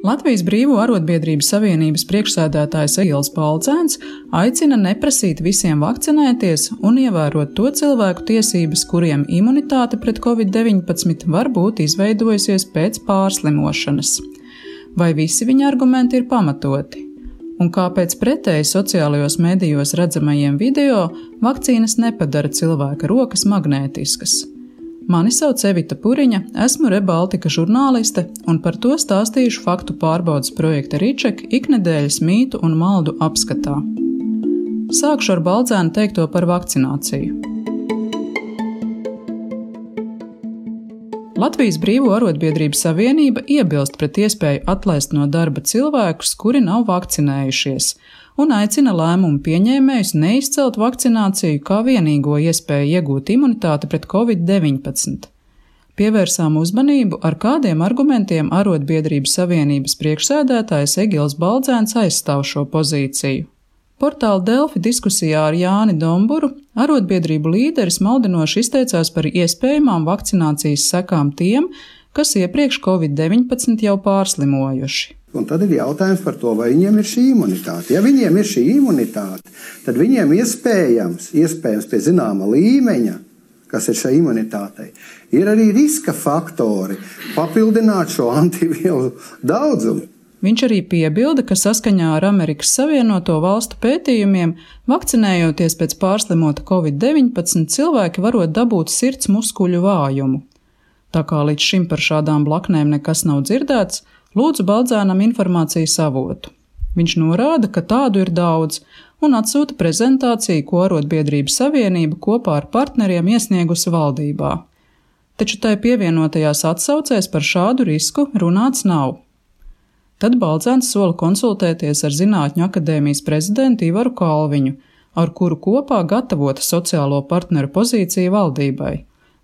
Latvijas Brīvo arotbiedrību savienības priekšsēdētājs Egils Baldzēns aicina neprasīt visiem vakcinēties un ievērot to cilvēku tiesības, kuriem imunitāte pret Covid-19 var būt izveidojusies pēc pārslimošanas. Vai visi viņa argumenti ir pamatoti? Un kāpēc pretēji sociālajos medijos redzamajiem video vakcīnas nepadara cilvēka rokas magnētiskas? Mani sauc Evita Puriņa, esmu ReBaltica žurnāliste un par to stāstīšu faktu pārbaudes projekta Riček iknedēļas mītu un maldu apskatā. Sākšu ar Baldzēna teikto par vakcināciju. Latvijas Brīvo arotbiedrību savienība iebilst pret iespēju atlaist no darba cilvēkus, kuri nav vakcinējušies, un aicina lēmumu pieņēmējus neizcelt vakcināciju kā vienīgo iespēju iegūt imunitāti pret Covid-19. Pievērsām uzmanību, ar kādiem argumentiem arotbiedrību savienības priekšsēdētājs Egils Baldzēns aizstāv šo pozīciju. Portāla Delfi diskusijā ar Jāni Domburu arotbiedrību līderis maldinoši izteicās par iespējamām vakcinācijas sekām tiem, kas iepriekš Covid-19 jau pārslimojuši. Un tad ir jautājums par to, vai viņiem ir šī imunitāte. Ja viņiem ir šī imunitāte, tad viņiem iespējams pie zināma līmeņa, kas ir šai imunitātei, ir arī riska faktori papildināt šo antivielu daudzumu. Viņš arī piebilda, ka saskaņā ar Amerikas Savienoto Valstu pētījumiem, vakcinējoties pēc pārslimota Covid-19, cilvēki varot dabūt sirds muskuļu vājumu. Tā kā līdz šim par šādām blaknēm nekas nav dzirdēts, lūdzu Baldzēnam informācijas avotu. Viņš norāda, ka tādu ir daudz, un atsūta prezentāciju, ko arotbiedrību savienība kopā ar partneriem iesniegusi valdībā. Taču tai pievienotajās atsaucēs par šādu risku runāts nav. Tad Baldzēns sola konsultēties ar Zinātņu akadēmijas prezidentu Ivaru Kalviņu, ar kuru kopā gatavota sociālo partneru pozīcija valdībai.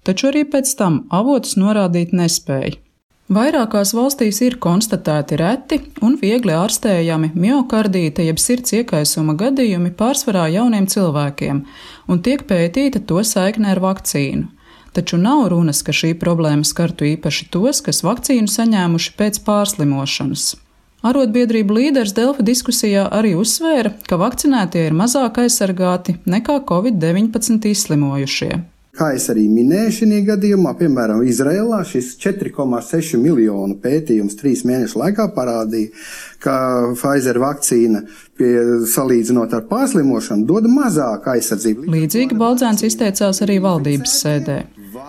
Taču arī pēc tam avotus norādīt nespēja. Vairākās valstīs ir konstatēti reti un viegli ārstējami miokardīta jeb sirds iekaisuma gadījumi pārsvarā jauniem cilvēkiem, un tiek pētīta to saikne ar vakcīnu. Taču nav runas, ka šī problēma skartu īpaši tos, kas vakcīnu saņēmuši pēc pārslimošanas. Arotbiedrību līderis Delfi diskusijā arī uzsvēra, ka vakcinētie ir mazāk aizsargāti nekā Covid-19 izslimojušie. Kā es arī minēju šajā gadījumā, piemēram, Izrēlā šis 4,6 miljonu pētījums 3 mēnešu laikā parādīja, ka Pfizer vakcīna, salīdzinot ar pārslimošanu, dod mazāk aizsardzību. Līdzīgi Baldzēns izteicās arī valdības sēdē.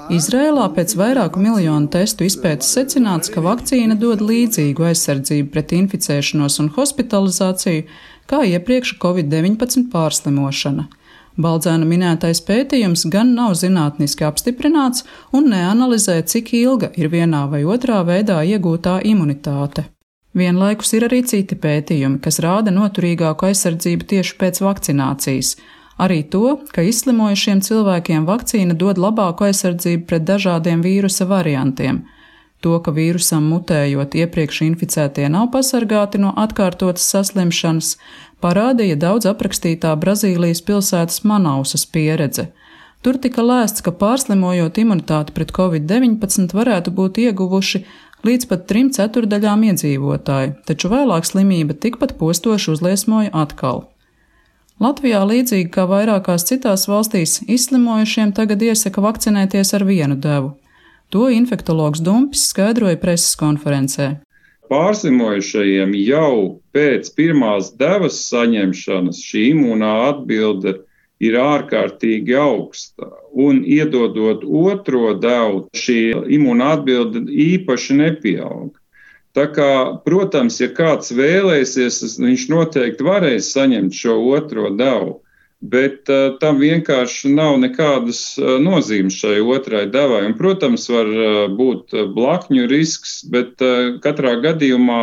Izrēlā pēc vairāku miljonu testu izpētes secināts, ka vakcīna dod līdzīgu aizsardzību pret inficēšanos un hospitalizāciju, kā iepriekš Covid-19 pārslimošana. Baldzēna minētais pētījums gan nav zinātniski apstiprināts un neanalizē, cik ilga ir vienā vai otrā veidā iegūtā imunitāte. Vienlaikus ir arī citi pētījumi, kas rāda noturīgāku aizsardzību tieši pēc vakcinācijas. Arī to, ka izslimojušiem cilvēkiem vakcīna dod labāku aizsardzību pret dažādiem vīrusa variantiem. To, ka vīrusam mutējot iepriekš inficētie nav pasargāti no atkārtotas saslimšanas, parādīja daudz aprakstītā Brazīlijas pilsētas Manausas pieredze. Tur tika lēsts, ka pārslimojot imunitāti pret Covid-19 varētu būt ieguvuši līdz pat 3/4 iedzīvotāju, taču vēlāk slimība tikpat postoši uzliesmoja atkal. Latvijā, līdzīgi kā vairākās citās valstīs, izslimojušiem tagad iesaka vakcinēties ar vienu devu. To infektologs Dumpis skaidroja preses konferencē. Pārslimojušajiem jau pēc pirmās devas saņemšanas šī imūnā atbilde ir ārkārtīgi augsta, un iedodot otro devu, šī imūnā atbilde īpaši nepieauga. Tā kā, protams, ja kāds vēlēsies, viņš noteikti varēs saņemt šo otro devu, bet tam vienkārši nav nekādas nozīmes šai otrai devai. Un, protams, var būt blakņu risks, bet katrā gadījumā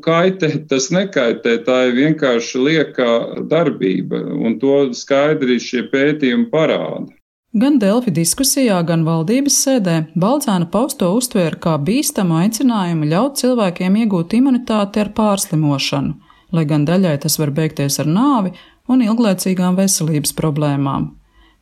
kaitēt tas nekaitē, tā ir vienkārši lieka darbība, un to skaidri šie pētījumi parāda. Gan Delfi diskusijā, gan valdības sēdē Baldzēna pausto uztvēra kā bīstamu aicinājumu ļaut cilvēkiem iegūt imunitāti ar pārslimošanu, lai gan daļai tas var beigties ar nāvi un ilglaicīgām veselības problēmām.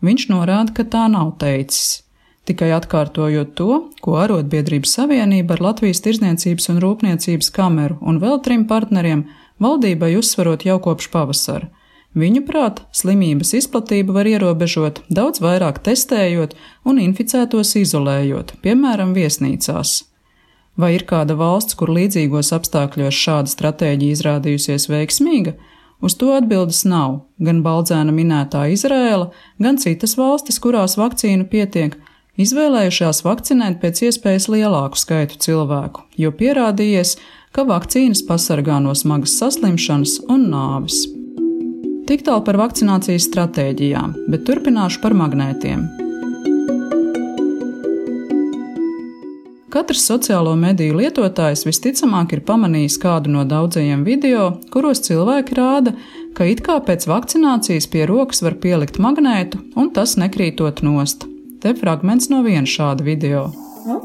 Viņš norāda, ka tā nav teicis. tikai atkārtojot to, ko Arotbiedrības savienība ar Latvijas Tirdzniecības un Rūpniecības kameru un vēl 3 partneriem valdībai uzsverot jau kopš pavasara. Viņuprāt, slimības izplatību var ierobežot, daudz vairāk testējot un inficētos izolējot, piemēram, viesnīcās. Vai ir kāda valsts, kur līdzīgos apstākļos šāda stratēģija izrādījusies veiksmīga? Uz to atbildes nav. Gan Baldzēna minētā Izraēla, gan citas valstis, kurās vakcīnu pietiek, izvēlējušās vakcinēt pēc iespējas lielāku skaitu cilvēku, jo pierādījies, ka vakcīnas pasargā no smagas saslimšanas un nāves. Tik tālu par vakcinācijas stratēģijām, bet turpināšu par magnētiem. Katrs sociālo mediju lietotājs visticamāk ir pamanījis kādu no daudzajiem video, kuros cilvēki rāda, ka it kā pēc vakcinācijas pie rokas var pielikt magnētu un tas nekrītot nost. Te fragments no viena šāda video.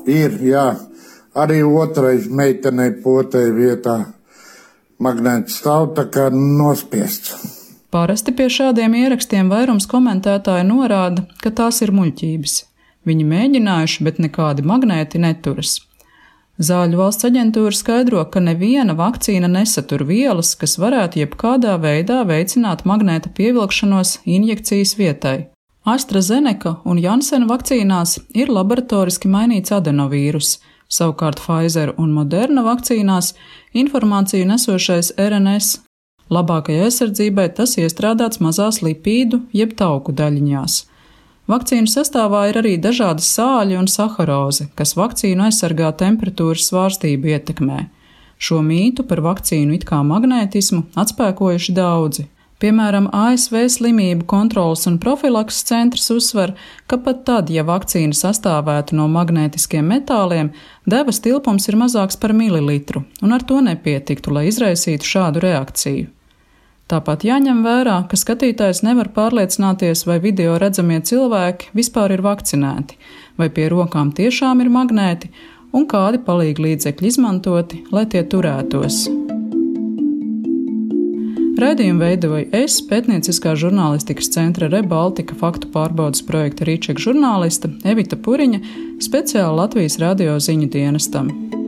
Ir, jā. Arī otrais meitenei potei vietā magnēts stāv tā kā nospiests. Parasti pie šādiem ierakstiem vairums komentētāji norāda, ka tās ir muļķības. Viņi mēģinājuši, bet nekādi magnēti neturas. Zāļu valsts aģentūra skaidro, ka neviena vakcīna nesatur vielas, kas varētu jebkādā veidā veicināt magnēta pievilkšanos injekcijas vietai. AstraZeneca un Janssen vakcīnās ir laboratoriski mainīts adenovīrus, savukārt Pfizer un Moderna vakcīnās informāciju nesošais RNS. Labākajai aizsardzībai tas iestrādāts mazās lipīdu jeb tauku daļiņās. Vakcīnu sastāvā ir arī dažādi sāļi un saharozi, kas vakcīnu aizsargā temperatūras svārstību ietekmē. Šo mītu par vakcīnu it kā magnētismu atspēkojuši daudzi. Piemēram, ASV Slimību kontroles un profilakses centrs uzsver, ka pat tad, ja vakcīna sastāvētu no magnētiskiem metāliem, devas tilpums ir mazāks par mililitru, un ar to nepietiktu, lai izraisītu šādu reakciju. Tāpat jāņem vērā, ka skatītājs nevar pārliecināties, vai video redzamie cilvēki vispār ir vakcinēti, vai pie rokām tiešām ir magnēti, un kādi palīglīdzekļi izmantoti, lai tie turētos. Raidījumu veidoju es, pētnieciskā žurnālistikas centra ReBaltica faktu pārbaudes projekta Rīčeka žurnāliste Evita Puriņa, speciāli Latvijas radio ziņu dienestam.